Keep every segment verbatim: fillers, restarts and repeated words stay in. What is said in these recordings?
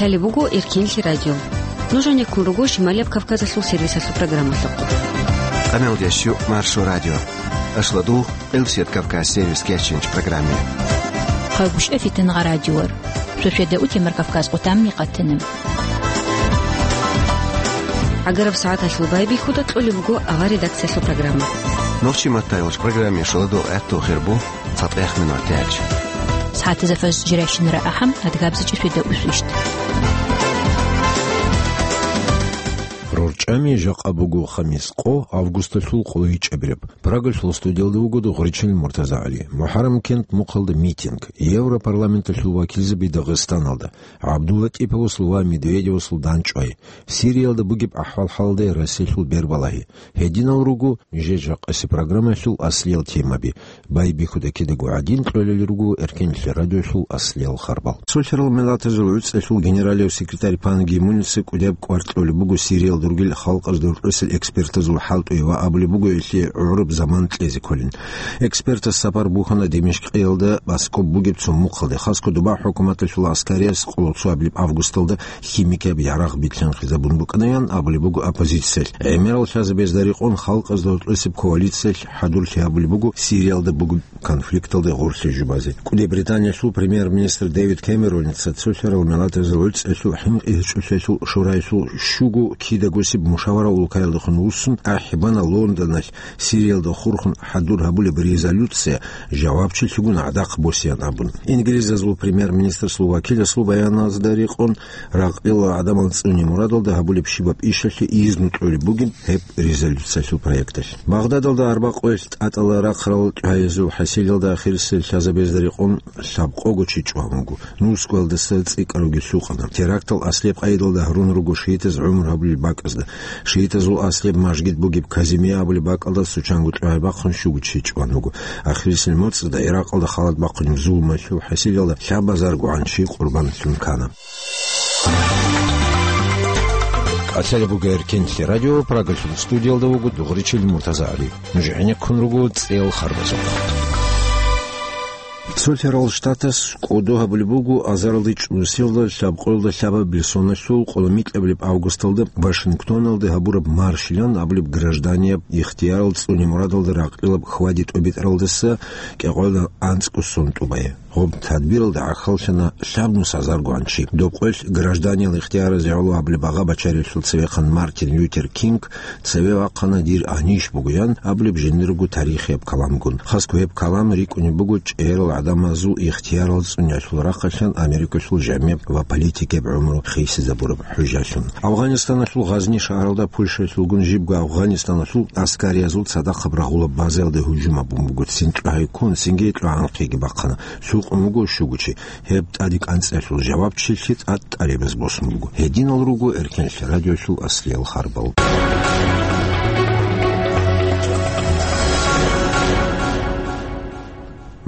Лъалеб буго Эркенлъи радио. Нуж гьанеккун руго Шималияб Кавказалъул сервисалъул программалъухъ. Къамелдеш ю Маршо радио. Ашладул Элсет Кавказ сервис кеченч программе. Хъагушев Фитнагъа радиор. Шошеда утемар Кавказ къутамми къатанам. Агараб сагӀаталъул байбихьуда кьолеб буго авар редакциялъул программа. Нурчи Маттаевич программе шоладул гӀатту хирбу. ЦатӀехъ минутач. СагӀатазда фажр жирайщинара ахӀам, адгабзичӀи шведа усвищт. РорчӀами жакъа буго хамис къо августалъул къолайчӀебираб. Прагалъул студиялда вуго Дугъричил МуртазагӀали. МухӀаррам кент мухъалда митинг. Европарламенталъул вакилзаби Дагъистаналда. ГӀабдуллатӀиповасул ва Медведевасул данчӀвай. Сириялда бугеб ахӀвал-хӀалалда Россиялъул бербалагьи. Гьединал руго нижер жакъаси программаялъул аслиял темаби. Байбихьуда кидаго гӀадин кьолел руго Эркенлъи радиоялъул аслиял харбал. Цолъарал миллатазул гӀуцӀелъул генералив секретарь Пан Ги Муница кӀудияб кӀвар кьолеб буго Сириялда ругел халкъазда рукӀусел экспертазул хӀалтӀуе ва абулеб буго гьелъие гӀураб заман кьезе кколин. Экспертас сапар бухьана Димишкъиялда баскоб бугеб цо мухъалде, хасго доба хӀукуматалъул аскарияб къоло цо абилеб августалда химикияб ярагъ битлъанхъизабун букӀанаян абулеб буго оппозициялъ. ГӀемерал лъазабезда рекъон халкъазда гьоркьосеб коалициялъ хӀадурлъи гьабулеб буго Сириялда бугеб конфликталде гъорлъе жубазе. КӀуди Британиялъул премьер-министр Дэвид Кэмероница цолъарал миллатазул гӀуцӀелъул хӀинкъи гьечӀолъиялъул шораялъул щуго кидагосеб мушавара улкаялдехун вуссун ахӀи бана Лондоналъ Сириялда хурхун хӀадур гьабулеб резолюция жавабчилъигун гӀадахъ босеян абун. Инглизазул премьер-министрасул вакиласул баяназда рекъон, ракъила гӀадамал цӀуне мурадалда гьабулеб щибаб ишалъе изну кьолеб бугеб гьеб резолюциялъул проекталъ. Багъдадалда арбакъоялъ тӀатӀала рахъарал чӀваязул хӀасилалда ахирисел лъазабезда рекъон лъабкъого чи чӀван вуго. Нусгоялдаса цӀикӀкӀарулги лъукъана. Терактал аслияб къайдалда гьарун руго шиитаз гӀумру гьабулел бакӀазда. Шиитазул аслияб мажгит бугеб Казимия абулеб бакӀалда цо чанго чӀвай бахъун щуго чи чӀван вуго. Ахирисел моцӀалда Иракъалда халат бахъунеб зулмалъул хӀасилалда лъабазаргогӀан чи къурбанлъун ккана. КӀалъалеб буго Эркенлъи радио, Прагалъул студиялда вуго Дугъричил МуртазагӀали. Нуж гӀенеккун руго цӀел харбазухъ. Цолъарал Штатас кӀодо гьабулеб буго азаралда чӀурусиялда лъабкъоялда лъабабилеб соналъул къоло микьабилеб августалда Вашингтоналда гьабураб маршилан абулеб гражданияб ихтиярал цӀуне мурадалда ракъилаб хьвади-тӀобитӀаралдаса кӀикъоялда анцӀго сон тӀубай. Гъоб тадбиралда гӀахьаллъана лъабнус азаргогӀан чи. Доб къоялъ гражданиял ихтияразе гӀоло гьабулеб багъа бачариялъул цевехъан Мартин Лютер Кинг цеве вахъана дир анищ бугоян абулеб жиндирго тарихияб каламгун. Хасго гьеб калам рикӀкӀунеб буго чӀегӀерал гӀадамазул ихтиярал цӀуниялъул рахъалъан Америкалъул жамигӀ ва политикияб гӀумру хисизабураб хӀужалъун. Афгъанистаналъул Гъазни шагьаралда Польшаялъулгун жибго Афгъанистаналъул аскариязул цадахъаб рагъулаб базаялда гьужум гьабун буго цинги кьогьеккун, цинги кьогьанхъеги бахъана. Лъукъун вуго щуго чи. Гьеб тӀаде кӀанцӀиялъул жавабчилъи тӀад тӀарабаз босун буго. Гьединал руго Эркенлъи радиоялъул аслиял харбал.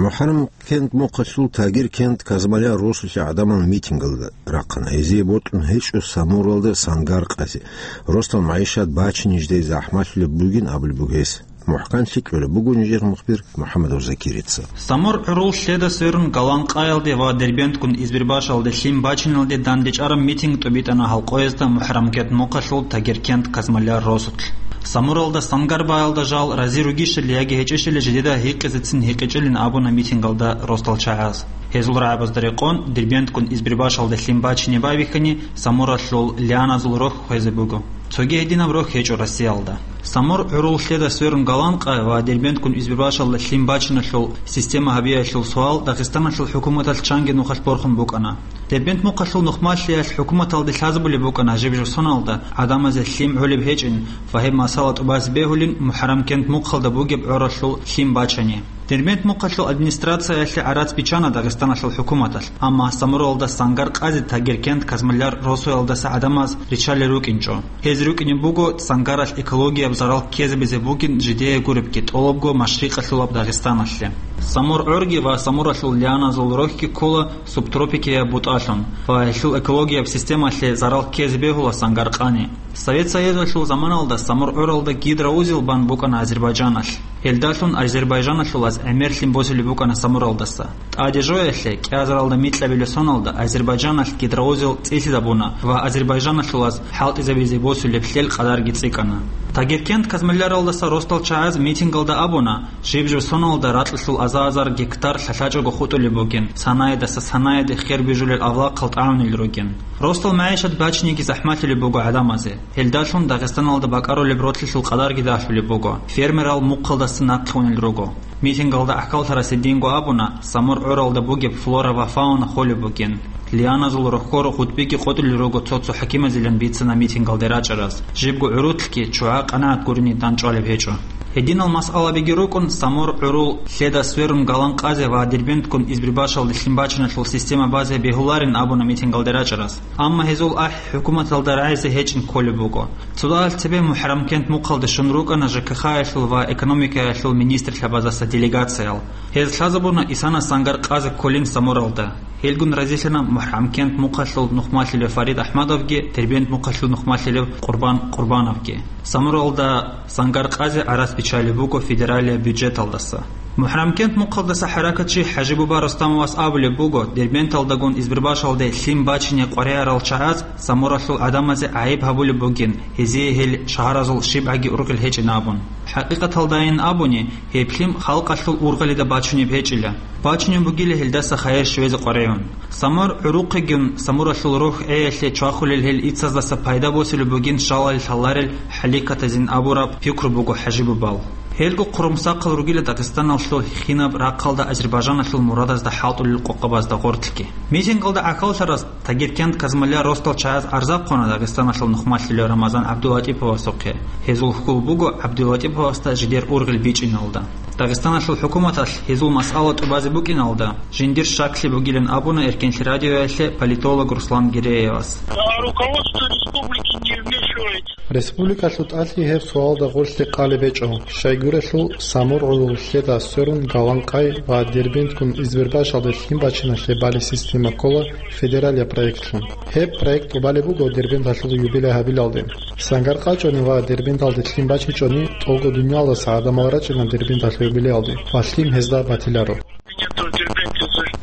МухӀаррам кент мухъалъул Тагир кент Казмаля росулъе гӀадамал митингалда рахъана. Гьезие бокьун гьечӀо Самуралда сангар къазе. Росдал магӀишат бачине жидее захӀмалъулеб бугин абулеб буго гьес. МухӀканлъи кьолеб буго нижер мухбир МухӀаммадов Закирица. Самур гӀурул лъеда сверун Голланд къаялде ва Дербентгун Избербашалде лъим бачиналде дандечӀараб митинг тӀубитӀана гьалкъоязда МухӀаррам кент мухъалъул Тагеркент Казмаляр росулъ. Самуралда сангар баялда жал рази ругищали яги гьечӀищали жидеда гьикъизецин гьикъичӀилин абуна митингалда росдал чагӀаз. Гьезул рагӀабазда рекъон, Дербентгун Избербашалде лъим бачине байбихьани, Самуралъул лианазул рохь хвезе буго. Цоги гьединаб рохь гьечӀо Россиялда. Самур гӀурул лъеда сверун Голланд къа ва Дербентгун Избербашалда лъим бачиналъул система гьабиялъул суал Дагъистаналъул хӀукуматалъ чанги нухалъ борхун букӀана. Дербент мухъалъул нухмалъиялъ хӀукуматалде лъазабулеб букӀана жиб-журсуналда гӀадамазе лъим гӀолеб гьечӀин ва гьеб масала тӀубазе бегьулин МухӀаррам кент мухъалда бугеб гӀоралъул лъим бачани. Дербент мухъалъул администрациялъе гӀарац биччана Дагъистаналъул хӀукуматалъ, амма Самуралда сангар къазе Тагеркент Казмаляр росуялдаса гӀадамаз риччалел рукӀинчӀо. Гьез рукӀине буго сангаралъ экологияб зарал ккезабизе бугин жидее гуребги тӀолабго машрикъалъулаб Дагъистаналъе. Самур гӀорги ва Самуралъул лианазул рохьги ккола субтропикияб бутӀалъун ва гьелъул экологияб системалъе зарал ккезе бегьула сангар къани. Совет Союзалъул заманалда Самур гӀуралда гидроузел бан букӀана Азербайджаналъ. Гьелдалъун азербайджаналъулаз гӀемерлъи босулеб букӀана Самуралдаса. ТӀаде жоялъе, кӀиазаралда микьабилеб соналда Азербайджаналъ гидроузел цӀилъизабуна ва азербайджаналъулаз хӀалтӀизабизе босулеб лъел къадарги цӀикӀкӀана. Тагеркент Казмалларалдаса росдал чагӀаз митингалда абуна, жиб-жиб соналда ракьалъул аза-азар гектар лъалъачӀого хутӀулеб бугин, санаядаса санаяде хер бижулел авлахъал тӀагӀунел ругин. Росдал магӀишат бачиниги захӀмалъулеб буго гӀадамазе. Гьелдалъун Дагъистаналда бакӀарулеб ролъилъул къадарги дагьлъулеб буго, фермерал мухъалдаса нахъе унел руго. Митингалда гӀахьаллъарасе динго абуна, Самур гӀуралда бугеб флора ва фауна холеб бугин. Лианазул рохьор гъутӀбиги къотӀулел руго цо-цо хӀакимазилан бицана митингалде рачӀараз, жибго гӀурулъги чугӀа къанагӀат гурине дандчӀвалеб гьечӀо. Гьединал масъалабиги рукӀун, Самур гӀурул лъеда сверун Галанкъазе ва Дербентгун Избербашалде лъимбачиналъул система базе бегьуларин абуна митингалде рачӀараз. Амма гьезул ахӀи хӀукуматалда рагӀизе гьечӀин кколеб буго. Цо дагьал цебе МухӀаррамкент мухъалде щун рукӀана ЖКХ-ялъул ва экономикаялъул министрлъабаздаса делегациял. Гьез лъазабуна исана Сангаркъазе кколин Самуралда. Гьелгун разилъана МухӀаррамкент мухъалъул нухмалъулев Фарид Ахмадовги, Дербент мухъалъул нухмалъулев Къурбан Къурбановги. Самуралда Сангаркъазе гӀарац биччалеб буго федералияб бюджеталдаса. МухӀаррамкент мухъалдаса хӀаракатчи ХӀажибуба Рустамовас абулеб буго, Дербенталдагун Избербашалде лъим бачине къваригӀарал чагӀаз Самуралъул гӀадамазе гӀайиб гьабулеб бугин, гьезие гьел шагьаразул щибгӀаги ургъел гьечӀин абун. ХӀакъикъаталдайин абуни, гьеб лъим халкъалъул ургъалида бачунеб гьечӀила. Бачунеб бугила гьелдаса хайир щвезе къваригӀун. Самур гӀурухъегун, Самуралъул рохь гӀеялъе чвахулел гьел ицаздаса пайда босулеб бугин шалал лъаларел хӀаликатазин абураб пикру буго ХӀажибубал. Гьелго хъурумсахъал ругила Дагъистаналъул хинаб рахъалда Азербайджаналъул мурадазда хӀалтӀулел къокъабазда гъорлъги. Митингалда гӀахьаллъарас Тагеркент Казмалла росдал чагӀаз гӀарзахъуна Дагъистаналъул нухмалъулев Рамазан ГӀабдулатӀиповасухъе. Гьезул хьул буго ГӀабдулатӀиповасда жидер ургъел бичӀчӀиналда. Дагъистаналъул хӀукуматалъ гьезул масъала тӀубазе букӀиналда, жиндир щаклъи бугилан абуна Эркенлъи радиоялъе политолог Руслан Гиреевас. А руководство республики не вмешивается. Республикалъул тӀалъи гьеб суалда гъорлъе къалеб гьечӀо, щайгурелъул Самур гӀурул лъеда сверун Галанкъай ва Дербентгун Избербашалде лъим бачиналъе балеб система ккола федералияб проектлъун. Гьеб проект тӀубалеб буго Дербенталъул юбилей гьабилалде. Сангаркъа чӀони ва Дербенталде лъим бачичӀони, тӀолго дуниялдаса гӀадамал рачӀина Дербенталъул юбилеялде ва лъим гьезда батиларо.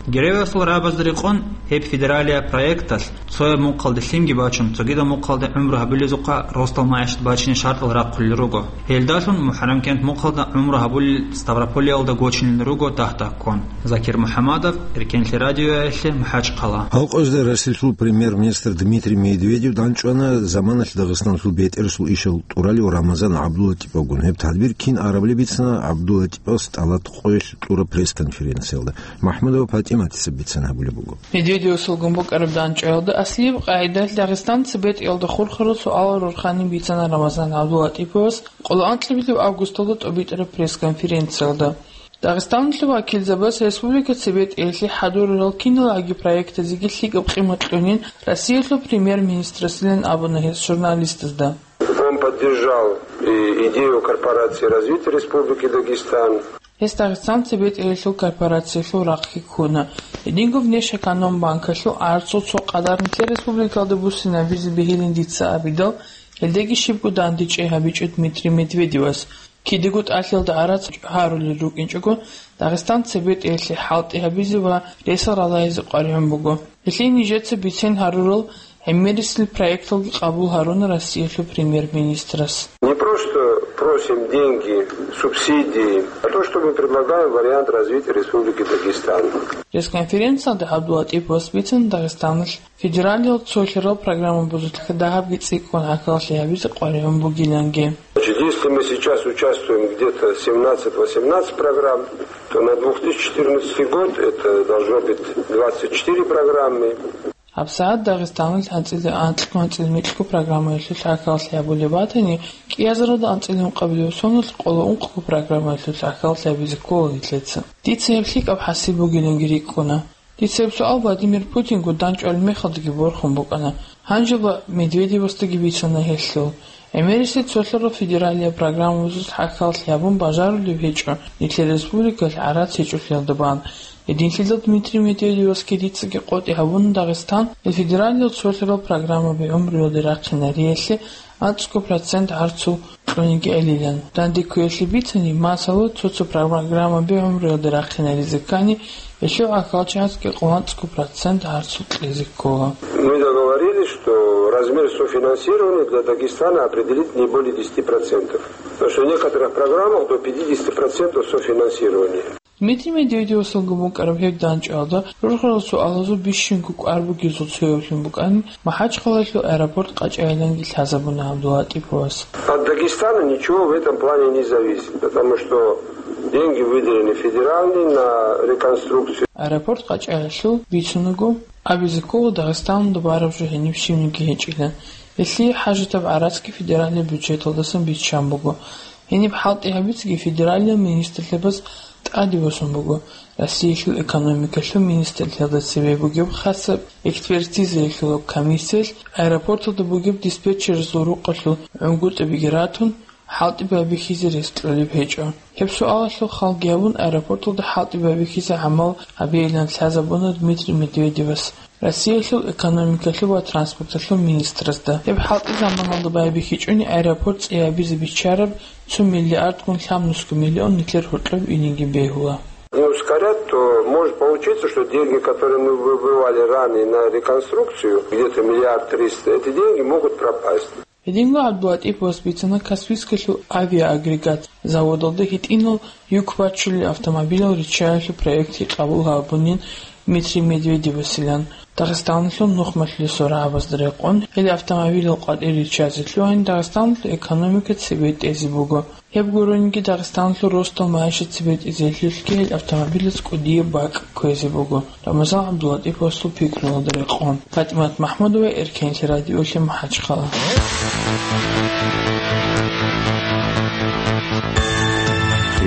Геревасул рагӀабазда рекъон, гьеб федералияб проекталъ цояб мухъалде лъимги бачун, цогидаб мухъалде гӀумру гьабулезухъа росдал магӀишат бачине шартӀал рахъулел руго. Гьелдалъун МухӀаррамкент мухъалда гӀумру гьабулел Ставрополиялда гочинел руго дагь-дагьккун. Закир МухӀамадов, Эркенлъи радиоялъе, МахӀачхъала. Гьал къоязда Россиялъул премьер-министр Дмитрий Медведев данчӀвана заманалъ Дагъистаналъул бетӀерасул ишал тӀуралев Рамазан ГӀабдулатӀиповгун. Гьеб тадбир кин арабали бицана ГӀабдулатӀиповас тӀалат къоялъ кьураб пресс-конференциялда. МахӀмудова ПатӀиматица бицан гьабулеб буго. Медведевасулгун букӀараб данчӀваялда аслияб къагӀидалъ Дагъистанца бетӀералда хурхарал суалал рорхани бицана Рамазан ГӀабдулатӀиповас къоло анкьабилеб августалда тӀубитӀараб пресс-конференциялда. Дагъистаналъул вакилзабаз республикаца бетӀералъе хӀадурарал киналаги проектазеги лъикӀаб къимат кьунин Россиялъул премьер-министрасилан абуна гьес журналистазда. Он поддержал и идею корпорации развития Республики Дагестан. Гьес Дагъистанца бетӀералъул корпорациялъул рахъги ккуна. Гьединго Внешэкономбанкалъул гӀарцул цо къадар нилъер республикалда буссинабизе бегьилин дица абидал, гьелдаги щибго дандечӀей гьабичӀо Дмитрий Медведевас. Кидаго тӀалъиялда гӀарац гьарулел рукӀинчӀого, Дагъистанца бетӀералъе хӀалтӀи гьабизе ва ресал ралагьизе къваригӀун буго. Гьелъие нижеца бицен гьарурал гӀемерисел проекталги къабул гьаруна Россиялъул премьер-министрас. Не просто просим деньги, субсидии, а то, что мы предлагаем вариант развития Республики Дагестан. Пресс-конференциялда ГӀабдулатӀиповас бицана Дагъистаналъ федералияб цолъарал программа бузулъ дагьабги цӀикӀкӀун гӀахьаллъи гьабизе къваригӀун бугиланги. Значит, если мы сейчас участвуем где-то семнадцать-восемнадцать программ, то на две тысячи четырнадцатый год это должно быть двадцать четыре программы. ГьабсагӀат Дагъистаналъ анцӀила анкьго-анцӀила микьго программаялъулъ гӀахьаллъи гьабулеб батани, кӀиазаралда анцӀила ункъабилеб соналъ къоло ункъго программаялъулъ гӀахьаллъи гьабизе ккола нилъеца. Дица гьеб лъикӀаб хӀасил бугиланги рикӀкӀуна. Дица гьеб суал Владимир Путинго данчӀвалеб мехалдаги борхун букӀана. Гьанжеба Медведевасдаги бицана гьелъул. ГӀемерисел цолъарал федералияб программабазулъ гӀахьаллъи гьабун бажарулеб гьечӀо нилъер республикалъ гӀарац гьечӀолъиялда бан. Гьединлъидал Дмитрий Медведевасги дицаги къотӀи гьабуна Дагъистан ил федералияб цолъарал программаби гӀумруялде рахъинариялъе, анцӀго процент гӀарцул кьуниги гӀелилан. Данде кквеялъе бицани, масала, цо-цо программаби гӀумруялда рахъинаризе ккани, гьелъул гӀахьалчагӀазги къо анцӀго процент гӀарцул кьезе ккола. Мы договорились, что размер софинансирования для Дагестана определить не более десяти процентов. Потому что в некоторых программах до пятидесяти процентов софинансирования. Дмитрий Медведевасулго букӀараб гьеб дандчӀвалда рурхарал суалазул бищунго кӀвар бугезул цоявлъун букӀани, МахӀачхъалалъул аэропорт къачӀайиланги лъазабуна ГӀабдуллатӀиповас. От Дагестана ничего в этом плане не зависит, потому что деньги выделены федеральные на реконструкцию. Аэропорт къачӀайилъул бицунаго, абизе ккола Дагъистаналда бараб жо гьениб щибниги гьечӀила. Гьелъие хӀажатаб гӀарацги федеральный бюджеталдасан биччан буго. Гьениб хӀалтӀи гьабицаги федералияб министрлъабаз тӀаде босун буго. Россиялъул экономикалъул министрлъиялда цебе бугеб хасаб экспертизаялъул комиссиялъ аэропорталда бугеб диспетчерзул рукъалъул гӀунгутӀабиги ратун, хӀалтӀи байбихьизе рес кьолеб гьечӀо. Гьеб суалалъул халги гьабун, аэропорталда хӀалтӀи байбихьизе гӀамал гьабейилан лъазабуна Дмитрий Медведевас. Россиялъул экономикалъул ва транспорталъул министрасда. Гьеб хӀалтӀи заманалда байбихьичӀони аэропорт цӀи гьабизе биччараб цо миллиардгун лъабнусго миллион нилъер гьоркьоб инеги бегьула. Не ускорят, то может получиться, что деньги, которые мы выбивали ранее на реконструкцию, где-то миллиард триста, эти деньги могут пропасть. Гьединго ГӀабдулатӀиповас бицана Каспийскалъул авиаагрегат заводалда гьитӀинал юк бачулел автомобилал риччаялъул проектги къабул гьабунин Дмитрий Медведевасилан. Дагъистаналъул нухмалъулесул рагӀабазда рекъон, гьел автомобилал къватӀир риччазе лъугьани Дагъистаналъул экономика цебетӀезе буго. Гьеб гурониги Дагъистаналъул ростал-майишат цебетӀезелъулъги гьел автомобилаз кӀудияб бакӀ кквезе буго. Рамазан ГӀабдуллатӀиповасул пикруялда рекъон. ПатӀимат МахӀмудова, Эркенлъи радиолъи, МахӀачхъала.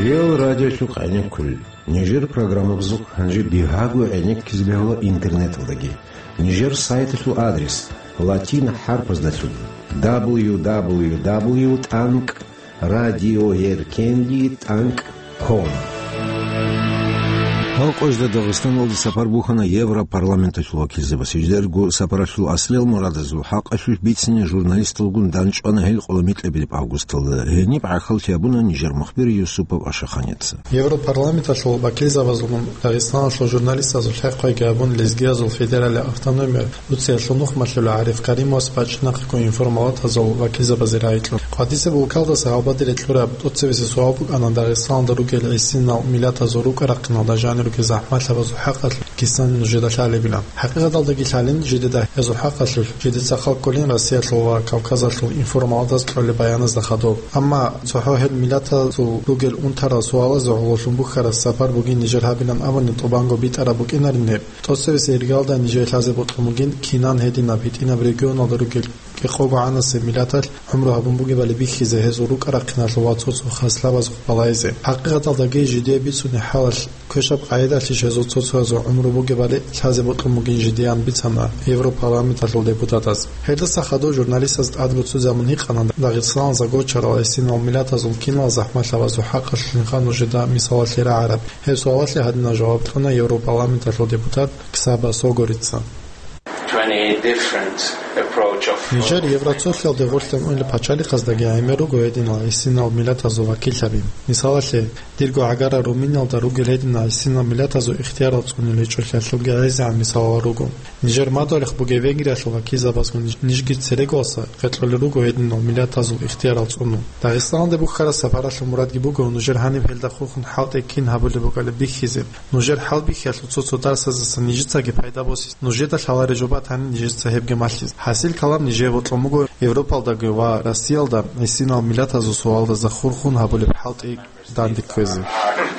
Реал радиолъухъ гӀенеккулел. Нижер программабазухъ гьанже бигьаго гӀенеккизе бегьула интернеталдаги. Нижер сайталъул адрес латин хӀарпаздалъун: дабл ю дабл ю дабл ю тӀанкӀ радиоеркенлъи тӀанкӀ ком. Гьал къоялда Дагъистаналде сапар бухьана Европарламенталъул вакилзабаз. Гьездаго сапаралъул аслиял мурадазул хӀакъалъулъ бицине журналисталгун дандчӀвана гьел къоло микьабилеб августалда. Гьениб гӀахьаллъи гьабуна нижер мухбир Юсупов Ашаханица. Европарламенталъул вакилзабазулгун Дагъистаналъул журналистазул хӀехъеги гьабун, лезгиязул федералияб автономиялъ Турциялъул нухмалъулев ГӀариф Каримовас бачӀинахъего информалатазул вакилзабазе рагӀи кьун. КъватӀисеб улкалдаса гьалбадере кьураб тӀоцебесеб суал букӀана Дагъистаналда ругел гӀисинал миллатазул рукӀа-рахъиналда жанир ругел захӀмалъабазул хӀакъалъулъ кисан нужеда лъалебилан. ХӀакъикъаталдаги лъалин, жидеда гьезул хӀакъалъулъ жидеца хал кколин Россиялъул ва Кавказалъул информалатаз кьолеб баяназда хадуб. Амма цохӀо гьел миллатазул ругел унтарал суалазе гӀололъун бухьараб сапар бугин нижер гьабилан абуни тӀубанго битӀараб букӀинарин гьеб. ТӀоцебесеб иргалда нижее лъазе бокьун бугин, кинан гьединаб гьитӀинаб регионалда ругел кӀикъого гӀанасеб миллаталъ гӀумру гьабун бугебали бихьизе, гьезул рукӀа-рахъиналъул ва цо-цо хаслабазухъ балайзе. ХӀакъикъаталдаги жидее бицунеб хӀалалъ квешаб къагӀидалъищ гьезул цо-цоязул гӀумру бугебали лъазе бокьун бугин жидеян бицана Европарламенталъул депутатаз. Гьелдаса хадуб журналистаз тӀад буццизабун гьикъана Дагъистаналда гочарал гӀисинал миллатазул кинал захӀмалъабазул хӀакъалъулъинха нужеда мисалалъе рагӀараб. Гьеб суалалъе гьадинаб жаваб кьуна Европарламенталъул депутат Ксаба Согорица. Нижер Евроцолъиялде гъорлъ тӀамунел пачалихъаздаги гӀемер руго гьединал гӀисинал миллатазул вакиллъаби. Мисалалъе, дирго гӀагара Румыниялда ругел гьединал гӀисинал миллатазул ихтиярал цӀунел гьечӀолъиялъулги гӀезегӀан мисалал руго. Нижер мадугьалихъ бугеб Венгриялъул вакилзабазгун нижги церегоялдаса къваригӀун руго гьединал миллатазул ихтиярал цӀуну. Дагъистаналде бухьараб сапаралъул мурадги буго нужер гьаниб гьелда хурхун хӀалтӀи кин гьабулеб букӀалеб бихьизе. Нужер хӀалбихьиялъул цо-цо дарсаздасан нижецаги пайда босизе, нужеда лъалареб жо батани нижеца гьебги малъизе. ХӀасил калам нижее бокьун буго Европалдаги ва Россиялда гӀисинал миллатазул суалдаса хурхун гьабулеб хӀалтӀи дандекквезе.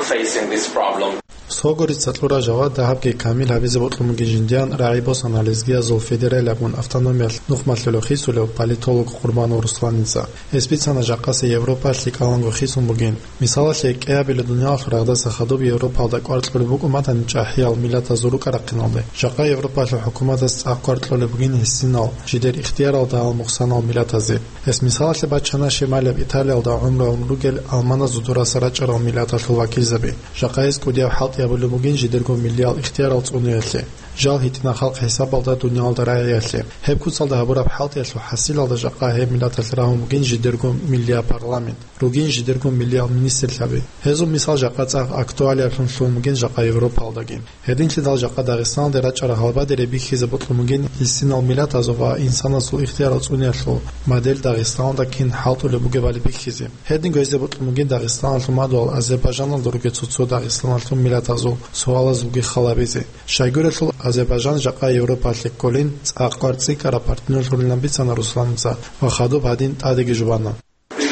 Facing this problem. Согорица кьураб жаваб дагьабги камил гьабизе бокьун бугин жиндиян рагӀи босана лезгиязул федералияб автономиялъ нухмалъулев хисулев политолог Къурбанов Русланица. Гьес бицана жакъасеб Европалъ лъикӀаланго хисун бугин. Мисалалъе, кӀиабилеб дуниялалъул рагъдаса хадуб Европалда кӀвар кьолеб букӀун батани чӀахӀиял миллатазул рукӀа-рахъиналде. Жакъа Европалъул хӀукуматаз цӀакъ кӀвар кьолеб бугин гӀисинал, жидер ихтияралда гьал мухъсанал миллатазе. Гьес мисалалъе бачана Шималияб Италиялда гӀумру гьабун ругел алманазул дураса рачӀарал миллаталъул вакилзаби. Жакъа гьез кӀудияб хӀалтӀи гьабулеб бугин жидерго миллиял ихтиярал цӀуниялъе, жал гьитӀинаб халкъ хӀисабалда дуниялалда рагӀиялъе. Гьеб куцалда гьабураб хӀалтӀиялъул хӀасилалда жакъа гьеб миллаталъ рагьун бугин жидерго миллияб парламент, ругин жидерго миллиял министрлъаби. Гьезул мисал жакъа цӀакъ актуалиялъун лъугьун бугин жакъа Европалдаги. Гьединлъидал жакъа Дагъистаналде рачӀарал гьалбадере бихьизе бокьун бугин гьисинал миллатазул ва инсанасул ихтиярал цӀуниялъул модель Дагъистаналда кин хӀалтӀулеб бугебали бихьизе. Гьединго гьезде бокьун бугин Дагъистаналъул мадугьал Азербайжаналда ругел цо-цо Дагъистаналъул миллатазул суалазулги хал гьабизе. Щайгурелъул Азербайжан жакъа Европалъе кколин цӀакъ кварцӀикӀкӀараб партнерлъунилан бицана Русланца ва хадуб гьадин тӀадеги жубана.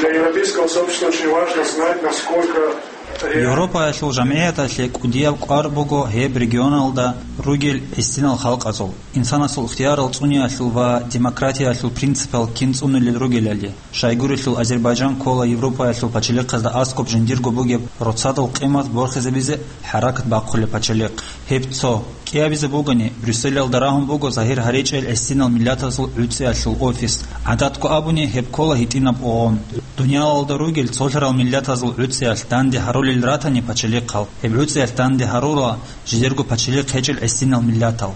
Для европейского сообщества очень важно знать, насколько реально Европаялъул жамгӀияталъе кӀудияб кӀвар буго гьеб регионалда ругел гӀисинал халкъазул, инсанасул ихтиярал цӀуниялъул ва демократиялъул принципал кин цӀунулел ругелали. Щайгурелъул Азербайжан ккола Европаялъул пачалихъазда аскӀоб жиндирго бугеб роцадул къимат борхизабизе хӀаракат бахъулеб пачалихъ. Гьеб цо. КӀиабизе бугони, Брюсселалда рагьун буго загьир гьаричӀел гӀисинал миллатазул гӀуцӀиялъул офис. ГӀадатго абуни, гьеб ккола гьитӀинаб угъун. Дуниялалда ругел цолъарал миллатазул гӀуцӀиялъ данде гьарулел ратани пачалихъал, гьеб гӀуцӀиялъ данде гьарула жидерго пачалихъ гьечӀел гӀисинал миллатал.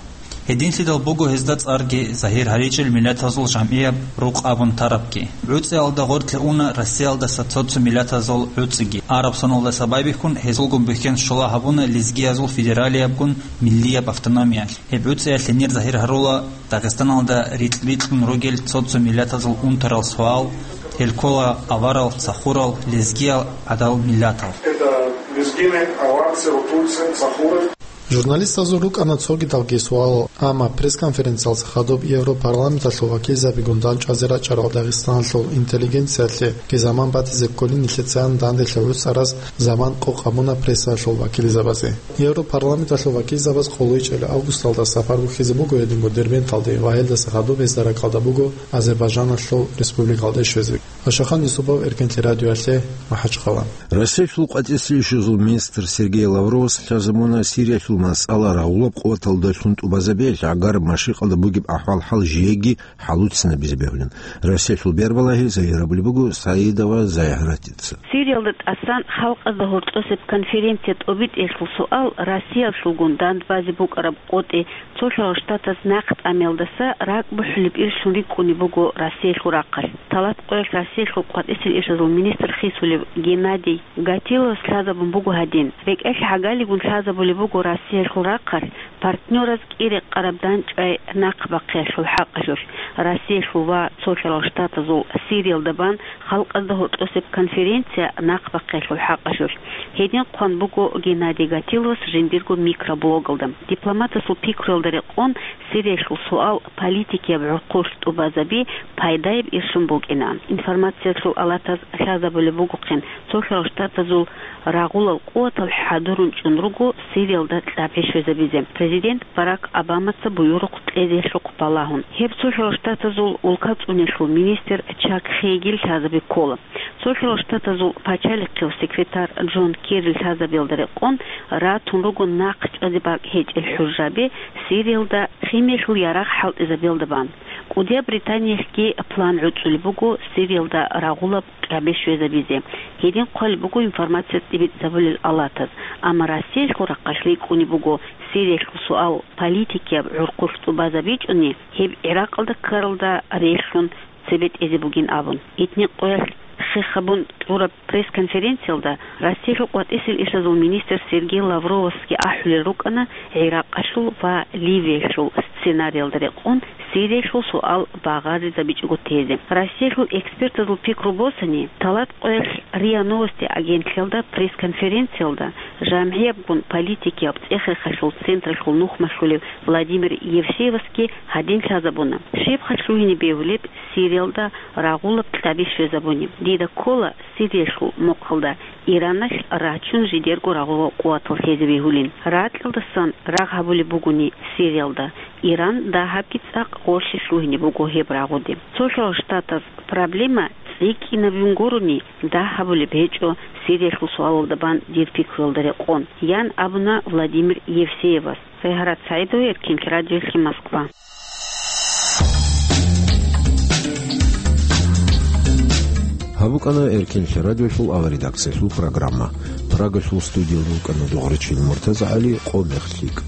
Гьединлъидал буго гьезда цӀарги загьир гьаричӀел миллатазул жамгӀияб рукъ абун тарабги. ГӀуцӀиялда гъорлъе уна Россиялдаса цо-цо миллатазул гӀуцӀиги. Араб соналдаса байбихьун гьезулгун бихьен щола гьабуна лезгиязул федералиябгун миллияб автономиялъ. Гьеб гӀуцӀиялъ гьенир загьир гьарула Дагъистаналда рикь-рикьун ругел цо-цо миллатазул унтарал суал, гьел ккола аварал, сахурал, лезгиял, гӀадал миллатал. Это лезгины, аварцы, рутульцы, сахуры. Журналистазул рукӀана цогидалги суалал, амма пресс-конференциялдаса хадуб Европарламенталъул вакилзабигун дандчӀвазе рачӀарал Дагъистаналъул интеллигенциялъеги заман батизе кколин нилъецаан данделъи гӀуцӀараз заман къокъ гьабуна прессаялъул вакилзабазе. Европарламенталъул вакилзабаз къолойчӀел августалда сапар бухьизе буго гьединго Дербенталде ва гьелдаса хадуб гьезда ракӀалда буго Азербайжаналъул республикалде щвезе. Ашахан Юсупов, Эркенлъи радиоялъе, МахӀачхъала. Россиялъул къватӀисел ишазул министр Сергей Лавровас лъазабуна Сириялъул масъала рагъулаб къуваталдалъун тӀубазабиялъ гӀагараб машрикъалда бугеб ахӀвал-хӀал жеги хӀалуцинабизе бегьулин. Россиялъул бербалагьи загьирабулеб буго Саидова Зайгьратица. Сириялда тӀасан халкъазда гьоркьосеб конференция тӀобитӀиялъул суал Россиялъулгун дандбазе букӀараб къотӀи Цолъарал Штатаз нахъ тӀамиялдаса ракӀ бухӀулеб ирлъун рикӀкӀунеб буго Россиялъул рахъалъ. Талат къоялъ Россиялъул къватӀисел ишазул министр хисулев Геннадий Гатиловас лъазабун буго гьадин: рекӀелъ гӀагалигун лъазабулеб буго Россиялъул рахъалъ партнераз кӀи рекъараб дандчӀвай нахъ бахъиялъул хӀакъалъулъ, Россиялъул ва Цолъарал Штатазул Сириялда бан халкъазда гьоркьосеб конференция нахъ бахъиялъул хӀакъалъулъ. Гьедин хъван буго Геннадий Гатиловас жиндирго микроблогалда. Дипломатасул пикруялда рекъон, Сириялъул суал политикияб гӀурхъулъ тӀубазаби пайдаяб ишлъун букӀинаан. Информациялъул алатаз лъазабулеб бугохъин, Цолъарал Штатазул рагъулал къуватал хӀадурун чӀун руго Сириялда кьабги щвезабизе, президент Барак Обамаца буюрухъ кьезелъухъ балагьун. Гьеб Цолъарал Штатазул улка цӀунелъул министр Чак Хейгил лъазаби ккола. Цолъарал Штатазул пачалихъияв секретарь Джон Керри лъазабиялда рекъон ратун руго нахъ чӀвазе бакӀ гьечӀел хӀужаби Сириялда химиялъул ярагъ хӀалтӀизабиялда бан. КӀудияб Британиялъги план гӀуцӀулеб буго Сириялда рагъулаб кьабги щвезабизе. Гьедин хъвалеб буго информация тӀибитӀизабулел алатаз, амма Россиялъул рахъалъ рикӀкӀунеб буго Сириялъул суал политикияб гӀурхъулъ тӀубазабичӀони, гьеб ГӀиракъалда ккаралда релълъун цебетӀезе бугин абун. Итни къоялъ хехабун кьураб пресс-конференциялда Россиялъул къватӀисел ишазул министр Сергей Лавровасги ахӀулел рукӀана ГӀиракъалъул ва Ливиялъул сценариялда рекъон Сириялъул суал багъаризабичӀого тезе. Россиялъул экспертазул пикру босани, талат къоялъ РИА Новости агентлъиялда пресс-конференциялда жамгӀиябгун политикияб цӀехехалъул централъул нухмалъулев Владимир Евсеевасги гьадин лъазабуна: щибха лъугьине бегьулеб Сириялда рагъулаб кьаби щвезабуни? Дида ккола Сириялъул мухъалда Ираналъ рачун жидерго рагъулал къуватал лъезе бегьулин. Ракьалдасан рагъ гьабулеб бугони Сириялда, Иран дагьабги цӀакъ гъорлъе лъугьине буго гьеб рагъуде. Цолъарал Штатаз проблема цӀикӀкӀинабун гурони дагь гьабулеб гьечӀо Сириялъул суалалда бан дир пикруялда рекъон, ян абуна Владимир Евсеевас. Сайгьарат СагӀидова, Эркинлъи радиоялъе, Москва. Гьаб букӀана Эркинлъи радиолъул аваредакциялъул программа. Прагалъул студиял рукӀана дугъричил МуртазагӀали, къо мех лъикӀ.